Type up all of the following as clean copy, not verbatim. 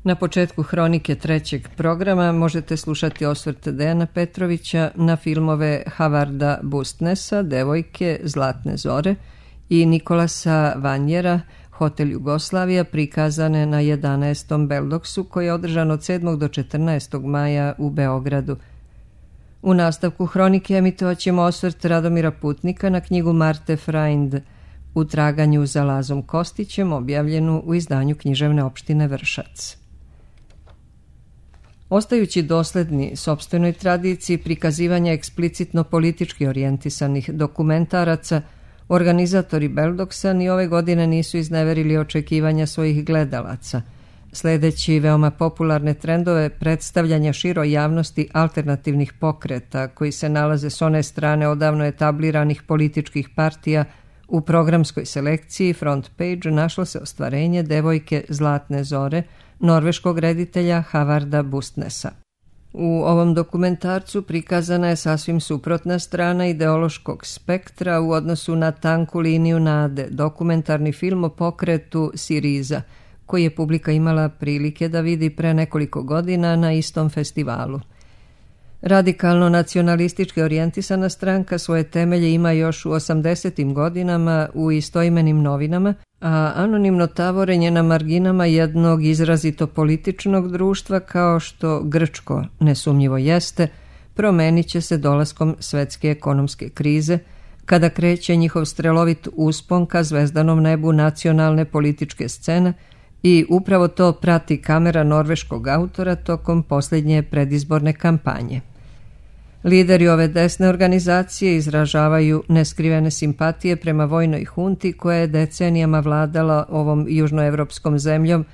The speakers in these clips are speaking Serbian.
Na početku hronike trećeg programa možete slušati osvrt Dejana Petrovića na filmove Havarda Bustnesa, Devojke, Zlatne zore i Nikolasa Vanjera, Hotel Jugoslavija, prikazane na 11. Beldoksu koji je održan od 7. do 14. maja u Beogradu. U nastavku hronike emitovat ćemo osvrt Radomira Putnika na knjigu Marte Freind U traganju za Lazom Kostićem, objavljenu u izdanju književne opštine Vršac. Ostajući dosledni sopstvenoj tradiciji prikazivanja eksplicitno politički orijentisanih dokumentaraca, organizatori Beldoksa ni ove godine nisu izneverili očekivanja svojih gledalaca, sledeći veoma popularne trendove predstavljanja široj javnosti alternativnih pokreta koji se nalaze s one strane odavno etabliranih političkih partija. U programskoj selekciji Front Page našlo se ostvarenje Devojke, Zlatne zore norveškog reditelja Havarda Bustnesa. U ovom dokumentarcu prikazana je sasvim suprotna strana ideološkog spektra u odnosu na tanku liniju nade, dokumentarni film o pokretu Siriza, koji je publika imala prilike da vidi pre nekoliko godina na istom festivalu. Radikalno nacionalistički orijentisana stranka svoje temelje ima još u 80. godinama u istoimenim novinama, a anonimno tavorenje na marginama jednog izrazito političnog društva, kao što grčko nesumnjivo jeste, promenit će se dolaskom svetske ekonomske krize, kada kreće njihov strelovit uspon ka zvezdanom nebu nacionalne političke scene i upravo to prati kamera norveškog autora tokom posljednje predizborne kampanje. Lideri ove desne organizacije izražavaju neskrivene simpatije prema vojnoj hunti koja je decenijama vladala ovom južnoevropskom zemljom,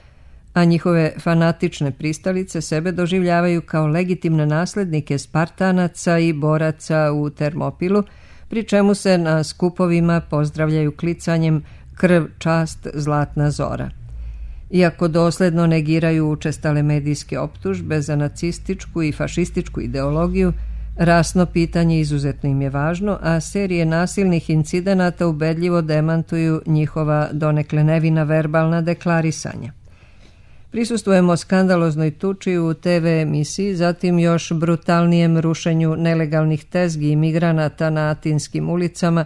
a njihove fanatične pristalice sebe doživljavaju kao legitimne naslednike Spartanaca i boraca u Termopilu, pri čemu se na skupovima pozdravljaju klicanjem krv, čast, zlatna zora. Iako dosledno negiraju učestale medijske optužbe za nacističku i fašističku ideologiju, rasno pitanje izuzetno im je važno, a serije nasilnih incidenata ubedljivo demantuju njihova donekle nevina verbalna deklarisanja. Prisustvujemo skandaloznoj tuči u TV emisiji, zatim još brutalnijem rušenju nelegalnih tezgi i migranata na atinskim ulicama,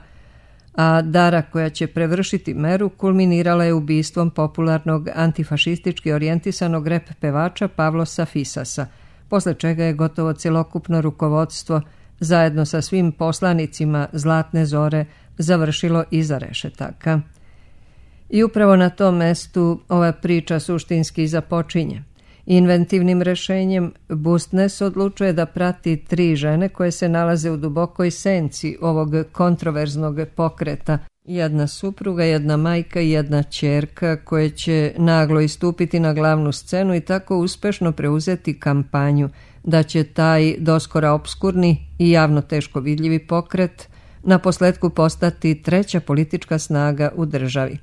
a dara koja će prevršiti meru kulminirala je ubistvom popularnog antifašistički orijentisanog rep pevača Pavlosa Fisasa, posle čega je gotovo celokupno rukovodstvo zajedno sa svim poslanicima Zlatne zore završilo iza rešetaka. I upravo na tom mestu ova priča suštinski započinje. Inventivnim rešenjem Bustnes odlučuje da prati 3 žene koje se nalaze u dubokoj senci ovog kontroverznog pokreta. Jedna supruga, jedna majka i jedna ćerka koje će naglo istupiti na glavnu scenu i tako uspešno preuzeti kampanju da će taj doskora obskurni i javno teško vidljivi pokret naposletku postati treća politička snaga u državi.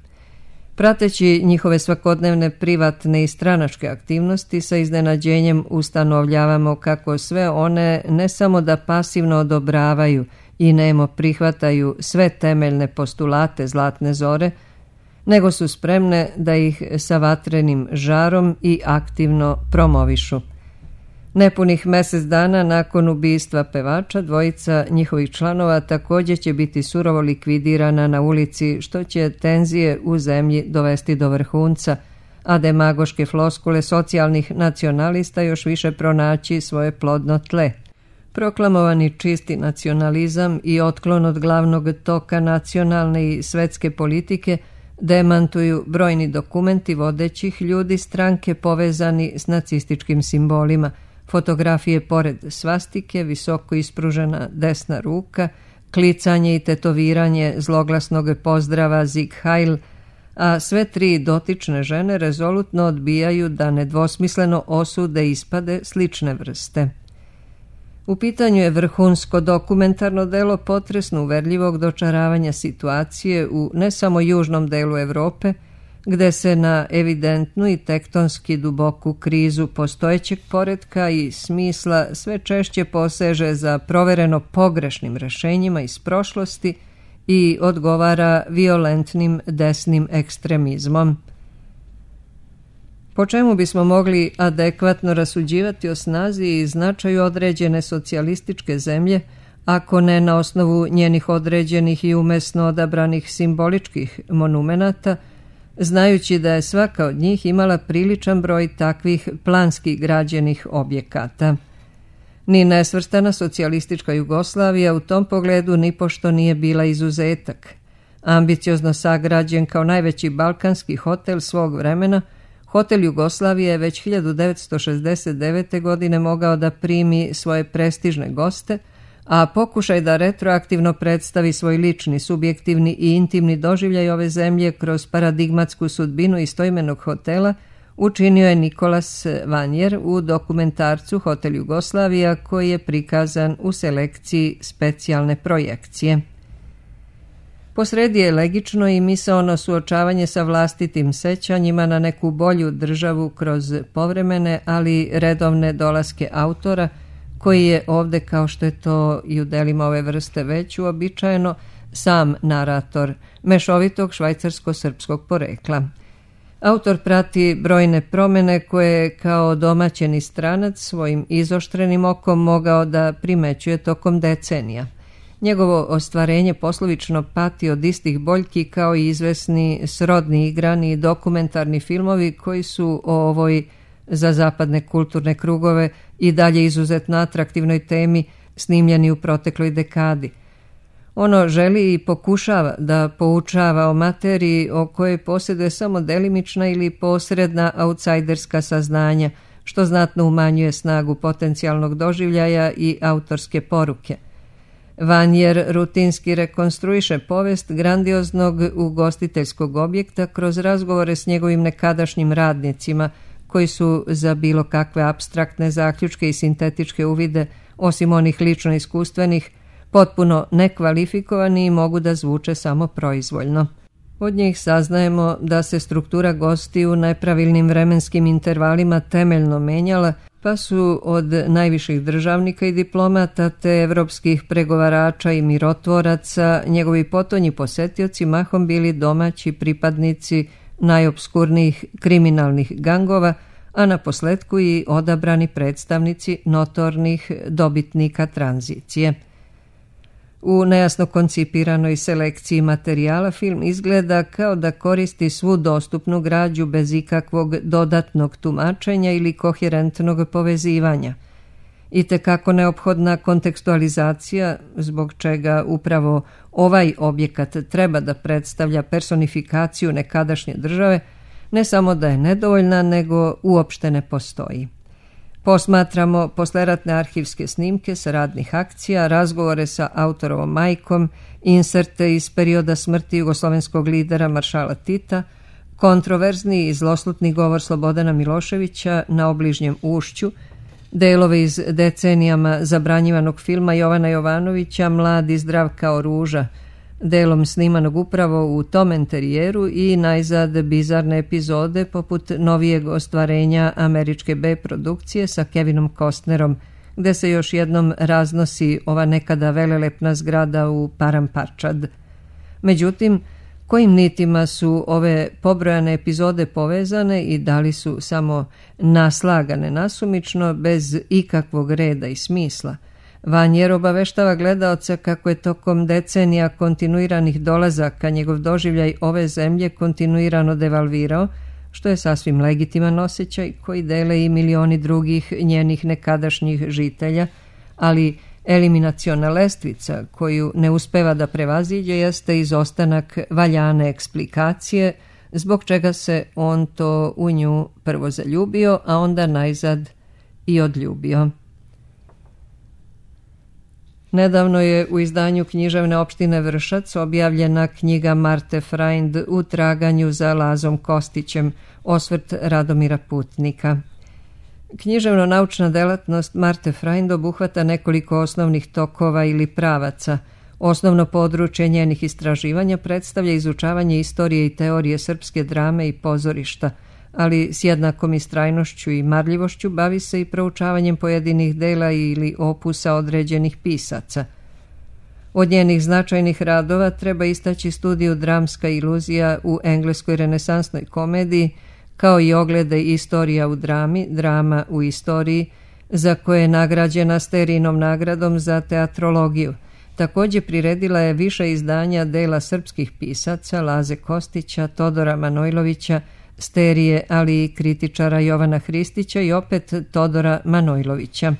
Prateći njihove svakodnevne privatne i stranačke aktivnosti, sa iznenađenjem ustanovljavamo kako sve one ne samo da pasivno odobravaju i nemo prihvataju sve temeljne postulate Zlatne zore, nego su spremne da ih sa vatrenim žarom i aktivno promovišu. Nepunih mesec dana nakon ubistva pevača, dvojica njihovih članova također će biti surovo likvidirana na ulici, što će tenzije u zemlji dovesti do vrhunca, a demagoške floskule socijalnih nacionalista još više pronaći svoje plodno tle. Proklamovani čisti nacionalizam i otklon od glavnog toka nacionalne i svetske politike demantuju brojni dokumenti vodećih ljudi stranke povezani s nacističkim simbolima, fotografije pored svastike, visoko ispružena desna ruka, klicanje i tetoviranje zloglasnog pozdrava Sieg Heil, a sve 3 dotične žene rezolutno odbijaju da nedvosmisleno osude ispade slične vrste. U pitanju je vrhunsko dokumentarno delo potresno uverljivog dočaravanja situacije u ne samo južnom delu Evrope, gde se na evidentnu i tektonski duboku krizu postojećeg poretka i smisla sve češće poseže za provereno pogrešnim rešenjima iz prošlosti i odgovara violentnim desnim ekstremizmom. Po čemu bismo mogli adekvatno rasuđivati o snazi i značaju određene socijalističke zemlje, ako ne na osnovu njenih određenih i umesno odabranih simboličkih monumenata, znajući da je svaka od njih imala priličan broj takvih planski građenih objekata. Ni nesvrstana socijalistička Jugoslavija u tom pogledu nipošto nije bila izuzetak. Ambiciozno sagrađen kao najveći balkanski hotel svog vremena, Hotel Jugoslavije je već 1969. godine mogao da primi svoje prestižne goste, a pokušaj da retroaktivno predstavi svoj lični, subjektivni i intimni doživljaj ove zemlje kroz paradigmatsku sudbinu istoimenog hotela učinio je Nikolas Vanjer u dokumentarcu Hotel Jugoslavija, koji je prikazan u selekciji specijalne projekcije. Posredi je legično i misaono suočavanje sa vlastitim sećanjima na neku bolju državu kroz povremene, ali redovne dolaske autora, koji je ovde, kao što je to i u delima ove vrste već uobičajeno, sam narator mešovitog švajcarsko-srpskog porekla. Autor prati brojne promene koje je kao domaćeni stranac svojim izoštrenim okom mogao da primećuje tokom decenija. Njegovo ostvarenje poslovično pati od istih boljki kao i izvesni srodni igrani i dokumentarni filmovi koji su o ovoj za zapadne kulturne krugove i dalje izuzetno atraktivnoj temi snimljeni u protekloj dekadi. Ono želi i pokušava da poučava o materiji o kojoj posjeduje samo delimična ili posredna autsajderska saznanja, što znatno umanjuje snagu potencijalnog doživljaja i autorske poruke. Vanjer rutinski rekonstruiše povest grandioznog ugostiteljskog objekta kroz razgovore s njegovim nekadašnjim radnicima, koji su za bilo kakve apstraktne zaključke i sintetičke uvide, osim onih lično iskustvenih, potpuno nekvalifikovani i mogu da zvuče samo proizvoljno. Od njih saznajemo da se struktura gostiju u nepravilnim vremenskim intervalima temeljno menjala, pa su od najviših državnika i diplomata te evropskih pregovarača i mirotvoraca njegovi potonji posetioci mahom bili domaći pripadnici najopskurnijih kriminalnih gangova, a na posletku i odabrani predstavnici notornih dobitnika tranzicije. U nejasno koncipiranoj selekciji materijala film izgleda kao da koristi svu dostupnu građu bez ikakvog dodatnog tumačenja ili koherentnog povezivanja. I tekako neophodna kontekstualizacija, zbog čega upravo ovaj objekat treba da predstavlja personifikaciju nekadašnje države, ne samo da je nedovoljna, nego uopšte ne postoji. Posmatramo posleratne arhivske snimke sa radnih akcija, razgovore sa autorovom majkom, inserte iz perioda smrti jugoslovenskog lidera maršala Tita, kontroverzni i zloslutni govor Slobodana Miloševića na obližnjem ušću, delove iz decenijama zabranjivanog filma Jovana Jovanovića Mlad i zdrav kao ruža, delom snimanog upravo u tom enterijeru i najzad bizarne epizode poput novijeg ostvarenja američke B produkcije sa Kevinom Costnerom, gde se još jednom raznosi ova nekada velelepna zgrada u Paramparčad. Međutim, kojim nitima su ove pobrojane epizode povezane i da li su samo naslagane nasumično bez ikakvog reda i smisla? Vanjer obaveštava gledaoca kako je tokom decenija kontinuiranih dolazaka njegov doživljaj ove zemlje kontinuirano devalvirao, što je sasvim legitiman osjećaj koji dele i milioni drugih njenih nekadašnjih žitelja, ali eliminaciona lestvica koju ne uspeva da prevaziđe jeste izostanak valjane eksplikacije, zbog čega se on to u nju prvo zaljubio, a onda najzad i odljubio. Nedavno je u izdanju književne opštine Vršac objavljena knjiga Marte Freind U traganju za Lazom Kostićem, osvrt Radomira Putnika. Književno-naučna delatnost Marte Freind obuhvata nekoliko osnovnih tokova ili pravaca. Osnovno područje njenih istraživanja predstavlja izučavanje istorije i teorije srpske drame i pozorišta, ali s jednakom istrajnošću i marljivošću bavi se i proučavanjem pojedinih dela ili opusa određenih pisaca. Od njenih značajnih radova treba istaći studiju Dramska iluzija u engleskoj renesansnoj komediji, kao i oglede Istorija u drami, drama u istoriji, za koje je nagrađena Sterijinom nagradom za teatrologiju. Također priredila je više izdanja dela srpskih pisaca Laze Kostića, Todora Manojlovića, Sterije, ali i kritičara Jovana Hristića i opet Todora Manojlovića.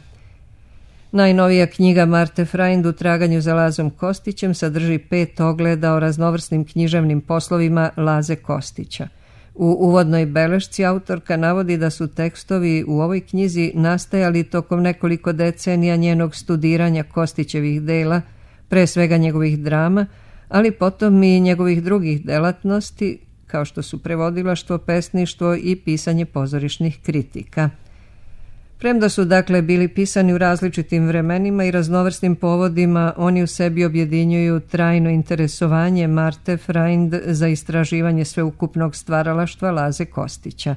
Najnovija knjiga Marte Frajnd U traganju za Lazom Kostićem sadrži 5 ogleda o raznovrsnim književnim poslovima Laze Kostića. U uvodnoj belešci autorka navodi da su tekstovi u ovoj knjizi nastajali tokom nekoliko decenija njenog studiranja Kostićevih dela, pre svega njegovih drama, ali potom i njegovih drugih delatnosti, kao što su prevodilaštvo, pesništvo i pisanje pozorišnih kritika. Premda su dakle bili pisani u različitim vremenima i raznovrsnim povodima, oni u sebi objedinjuju trajno interesovanje Marte Frajnd za istraživanje sveukupnog stvaralaštva Laze Kostića.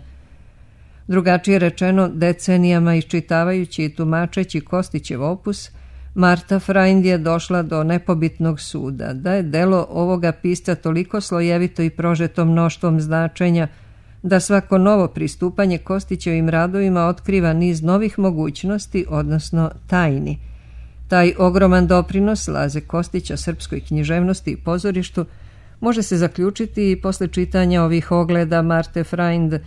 Drugačije rečeno, decenijama iščitavajući i tumačeći Kostićev opus, Marta Frajnd je došla do nepobitnog suda da je delo ovoga pisca toliko slojevito i prožeto mnoštvom značenja da svako novo pristupanje Kostićevim radovima otkriva niz novih mogućnosti, odnosno tajni. Taj ogroman doprinos Laze Kostića srpskoj književnosti i pozorištu može se zaključiti i posle čitanja ovih ogleda Marte Frajnd.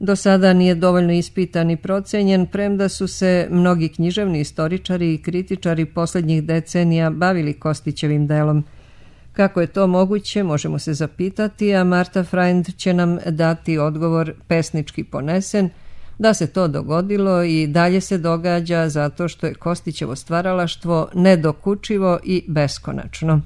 Do sada nije dovoljno ispitan i procenjen, premda su se mnogi književni istoričari i kritičari posljednjih decenija bavili Kostićevim delom. Kako je to moguće, možemo se zapitati, a Marta Frajnd će nam dati odgovor pesnički ponesen, da se to dogodilo i dalje se događa zato što je Kostićevo stvaralaštvo nedokučivo i beskonačno.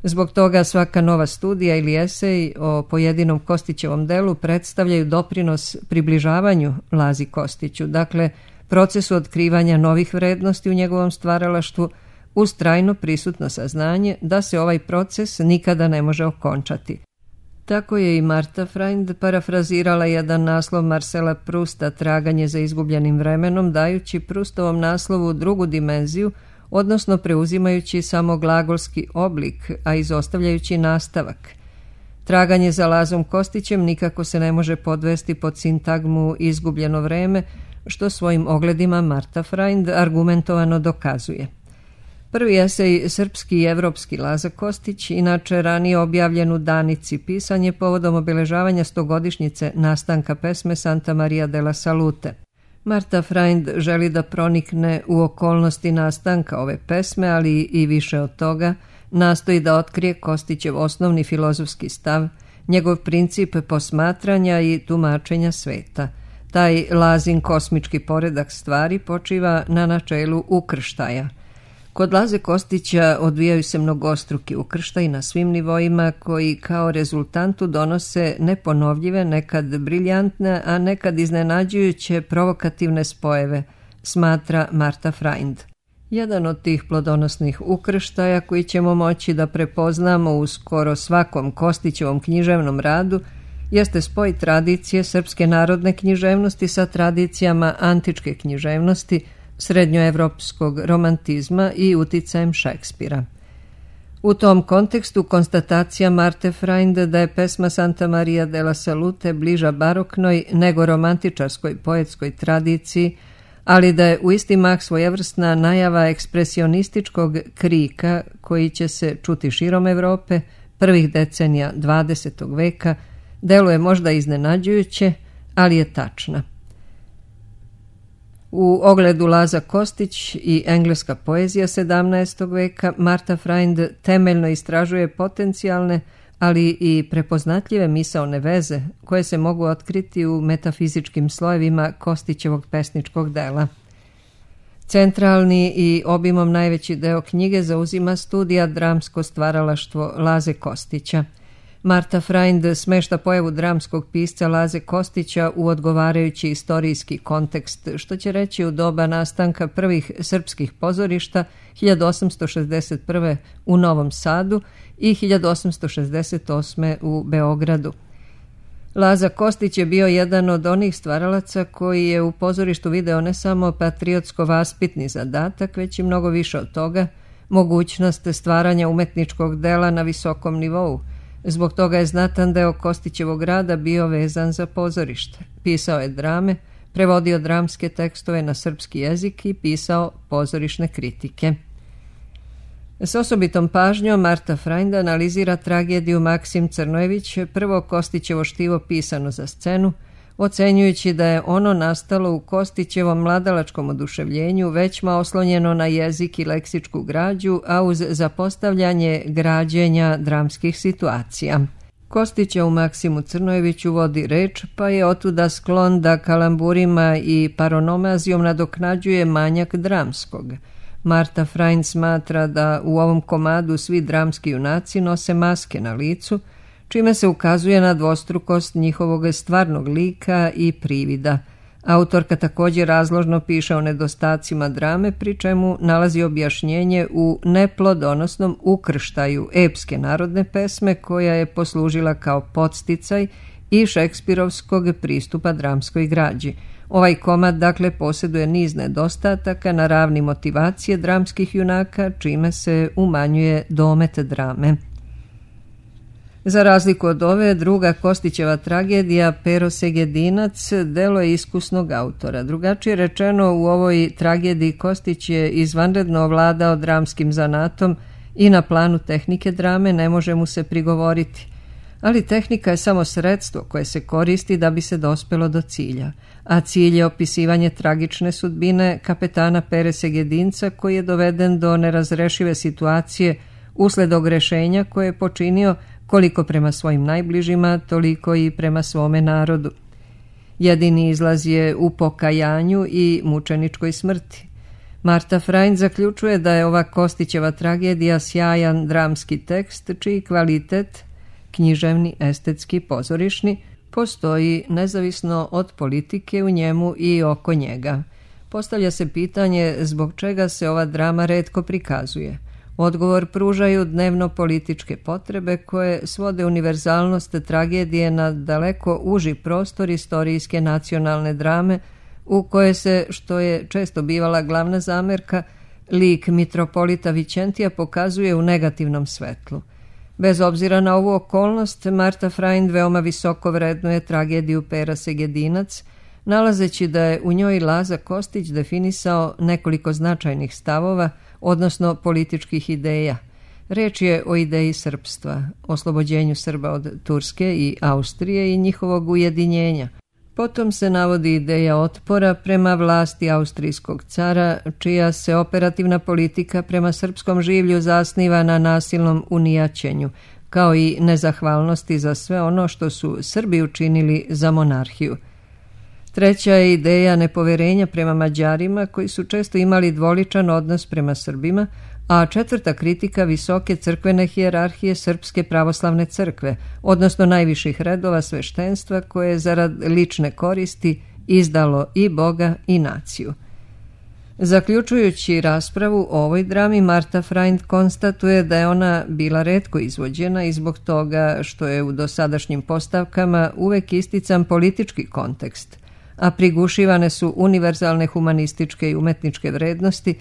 Zbog toga svaka nova studija ili esej o pojedinom Kostićevom delu predstavljaju doprinos približavanju Lazi Kostiću, dakle procesu otkrivanja novih vrednosti u njegovom stvaralaštvu, uz trajno prisutno saznanje da se ovaj proces nikada ne može okončati. Tako je i Marta Frajnd parafrazirala jedan naslov Marcela Prusta Traganje za izgubljenim vremenom, dajući Prustovom naslovu drugu dimenziju, odnosno preuzimajući samo glagolski oblik, a izostavljajući nastavak. Traganje za Lazom Kostićem nikako se ne može podvesti pod sintagmu izgubljeno vreme, što svojim ogledima Marta Frajnd argumentovano dokazuje. Prvi esej Srpski i evropski Laza Kostić, inače ranije objavljen u Danici, pisan je povodom obeležavanja 100-godišnjice nastanka pesme Santa Maria della Salute. Marta Frajnd želi da pronikne u okolnosti nastanka ove pesme, ali i više od toga, nastoji da otkrije Kostićev osnovni filozofski stav, njegov princip posmatranja i tumačenja sveta. Taj Lazin kosmički poredak stvari počiva na načelu ukrštaja. Kod Laze Kostića odvijaju se mnogostruki ukrštaji na svim nivoima koji kao rezultantu donose neponovljive, nekad briljantne, a nekad iznenađujuće provokativne spojeve, smatra Marta Frajnd. Jedan od tih plodonosnih ukrštaja koji ćemo moći da prepoznamo u skoro svakom Kostićevom književnom radu jeste spoj tradicije srpske narodne književnosti sa tradicijama antičke književnosti, srednjoevropskog romantizma i uticajem Šekspira. U tom kontekstu konstatacija Marte Frajnd da je pesma Santa Maria della Salute bliža baroknoj nego romantičarskoj poetskoj tradiciji, ali da je u isti mah svojevrsna najava ekspresionističkog krika koji će se čuti širom Evrope prvih decenija 20. veka, deluje možda iznenađujuće, ali je tačna. U ogledu Laza Kostić i engleska poezija 17. veka Marta Frajnd temeljno istražuje potencijalne, ali i prepoznatljive misaone veze koje se mogu otkriti u metafizičkim slojevima Kostićevog pesničkog dela. Centralni i obimom najveći deo knjige zauzima studija dramsko stvaralaštvo Laze Kostića. Marta Frajnd smešta pojavu dramskog pisca Laze Kostića u odgovarajući istorijski kontekst, što će reći u doba nastanka prvih srpskih pozorišta 1861. u Novom Sadu i 1868. u Beogradu. Laza Kostić je bio jedan od onih stvaralaca koji je u pozorištu video ne samo patriotsko-vaspitni zadatak, već i mnogo više od toga, mogućnost stvaranja umetničkog dela na visokom nivou, Zbog toga je znatan deo Kostićevog rada bio vezan za pozorište. Pisao je drame, prevodio dramske tekstove na srpski jezik i pisao pozorišne kritike. S osobitom pažnjom Marta Freund analizira tragediju Maksim Crnojević, prvo Kostićevo štivo pisano za scenu, ocenjujući da je ono nastalo u Kostićevom mladalačkom oduševljenju većma oslonjeno na jezik i leksičku građu, a uz zapostavljanje građenja dramskih situacija. Kostića u Maksimu Crnojeviću vodi reč, pa je otuda sklon da kalamburima i paronomazijom nadoknađuje manjak dramskog. Marta Freund smatra da u ovom komadu svi dramski junaci nose maske na licu, čime se ukazuje na dvostrukost njihovog stvarnog lika i privida. Autorka također razložno piše o nedostacima drame, pri čemu nalazi objašnjenje u neplodonosnom ukrštaju epske narodne pesme koja je poslužila kao podsticaj i šekspirovskog pristupa dramskoj građi. Ovaj komad dakle posjeduje niz nedostataka na ravni motivacije dramskih junaka, čime se umanjuje domet drame. Za razliku od ove, druga Kostićeva tragedija Pero Segedinac delo je iskusnog autora. Drugačije rečeno, u ovoj tragediji Kostić je izvanredno ovladao dramskim zanatom i na planu tehnike drame ne može mu se prigovoriti. Ali tehnika je samo sredstvo koje se koristi da bi se dospelo do cilja, a cilj je opisivanje tragične sudbine kapetana Pere Segedinca koji je doveden do nerazrešive situacije usled ogrešenja koje je počinio koliko prema svojim najbližima, toliko i prema svome narodu. Jedini izlaz je u pokajanju i mučeničkoj smrti. Marta Freund zaključuje da je ova Kostićeva tragedija sjajan dramski tekst, čiji kvalitet, književni, estetski, pozorišni, postoji nezavisno od politike u njemu i oko njega. Postavlja se pitanje zbog čega se ova drama retko prikazuje. Odgovor pružaju dnevno političke potrebe koje svode univerzalnost tragedije na daleko uži prostor istorijske nacionalne drame u koje se, što je često bivala glavna zamerka, lik mitropolita Vičentija pokazuje u negativnom svetlu. Bez obzira na ovu okolnost, Marta Freund veoma visoko vrednuje tragediju Pera Segedinac, nalazeći da je u njoj Laza Kostić definisao nekoliko značajnih stavova, odnosno političkih ideja. Reč je o ideji srpstva, oslobođenju Srba od Turske i Austrije i njihovog ujedinjenja. Potom se navodi ideja otpora prema vlasti austrijskog cara, čija se operativna politika prema srpskom življu zasniva na nasilnom unijaćenju, kao i nezahvalnosti za sve ono što su Srbi učinili za monarhiju. Treća je ideja nepoverenja prema Mađarima, koji su često imali dvoličan odnos prema Srbima, a četvrta kritika visoke crkvene hijerarhije Srpske pravoslavne crkve, odnosno najviših redova sveštenstva koje je zarad lične koristi izdalo i Boga i naciju. Zaključujući raspravu o ovoj drami, Marta Freund konstatuje da je ona bila retko izvođena i zbog toga što je u dosadašnjim postavkama uvek istican politički kontekst, a prigušivane su univerzalne humanističke i umetničke vrednosti,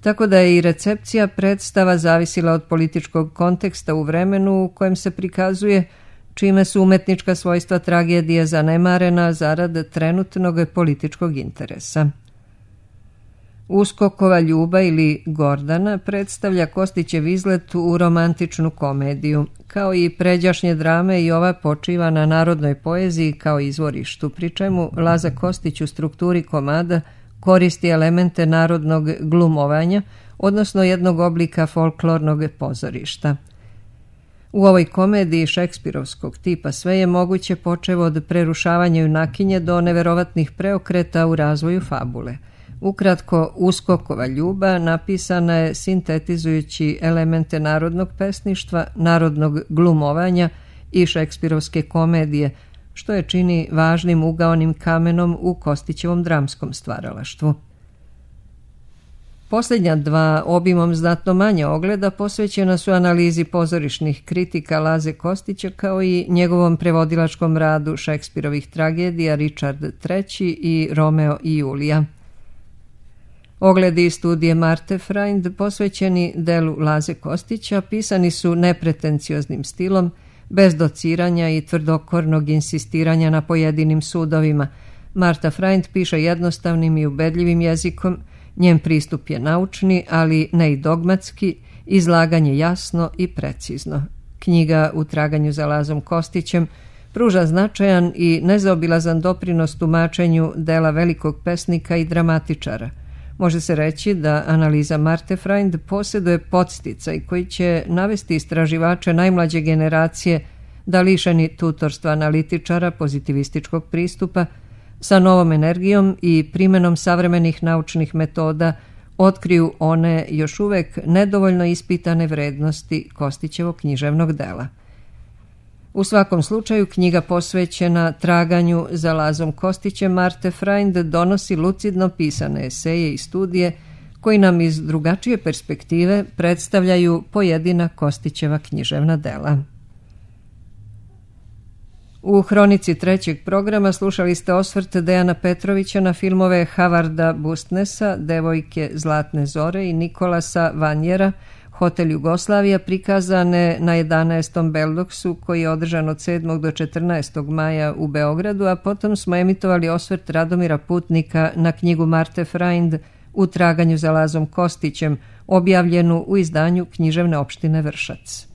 tako da je i recepcija predstava zavisila od političkog konteksta u vremenu u kojem se prikazuje, čime su umetnička svojstva tragedije zanemarena zarad trenutnog političkog interesa. Uskokova Ljuba ili Gordana predstavlja Kostićev izlet u romantičnu komediju. Kao i pređašnje drame, i ova počiva na narodnoj poeziji kao izvorištu, pri čemu Laza Kostić u strukturi komada koristi elemente narodnog glumovanja, odnosno jednog oblika folklornog pozorišta. U ovoj komediji šekspirovskog tipa sve je moguće počev od prerušavanja junakinje do neverovatnih preokreta u razvoju fabule. Ukratko, Uskokova Ljuba napisana je sintetizujući elemente narodnog pesništva, narodnog glumovanja i šekspirovske komedije, što je čini važnim ugaonim kamenom u Kostićevom dramskom stvaralaštvu. Posljednja dva, obimom znatno manje ogleda, posvećena su analizi pozorišnih kritika Laze Kostića kao i njegovom prevodilačkom radu Šekspirovih tragedija Richard III i Romeo i Julija. Ogledi i studije Marte Freund posvećeni delu Laze Kostića pisani su nepretencioznim stilom, bez dociranja i tvrdokornog insistiranja na pojedinim sudovima. Marta Freund piše jednostavnim i ubedljivim jezikom, njen pristup je naučni, ali ne i dogmatski, izlaganje jasno i precizno. Knjiga U traganju za Lazom Kostićem pruža značajan i nezaobilazan doprinos tumačenju dela velikog pesnika i dramatičara. Može se reći da analiza Marte Freund posjeduje podsticaj koji će navesti istraživače najmlađe generacije da lišeni tutorstva analitičara pozitivističkog pristupa sa novom energijom i primenom savremenih naučnih metoda otkriju one još uvek nedovoljno ispitane vrednosti Kostićevog književnog dela. U svakom slučaju, knjiga posvećena traganju za Lazom Kostićem Marte Freund donosi lucidno pisane eseje i studije koji nam iz drugačije perspektive predstavljaju pojedina Kostićeva književna dela. U hronici trećeg programa slušali ste osvrt Dejana Petrovića na filmove Havarda Bustnesa, Devojke Zlatne zore i Nikolasa Vanjera, Hotel Jugoslavija, prikazane na 11. Beldoksu koji je održan od 7. do 14. maja u Beogradu, a potom smo emitovali osvrt Radomira Putnika na knjigu Marte Freund U traganju za Lazom Kostićem, objavljenu u izdanju Književne opštine Vršac.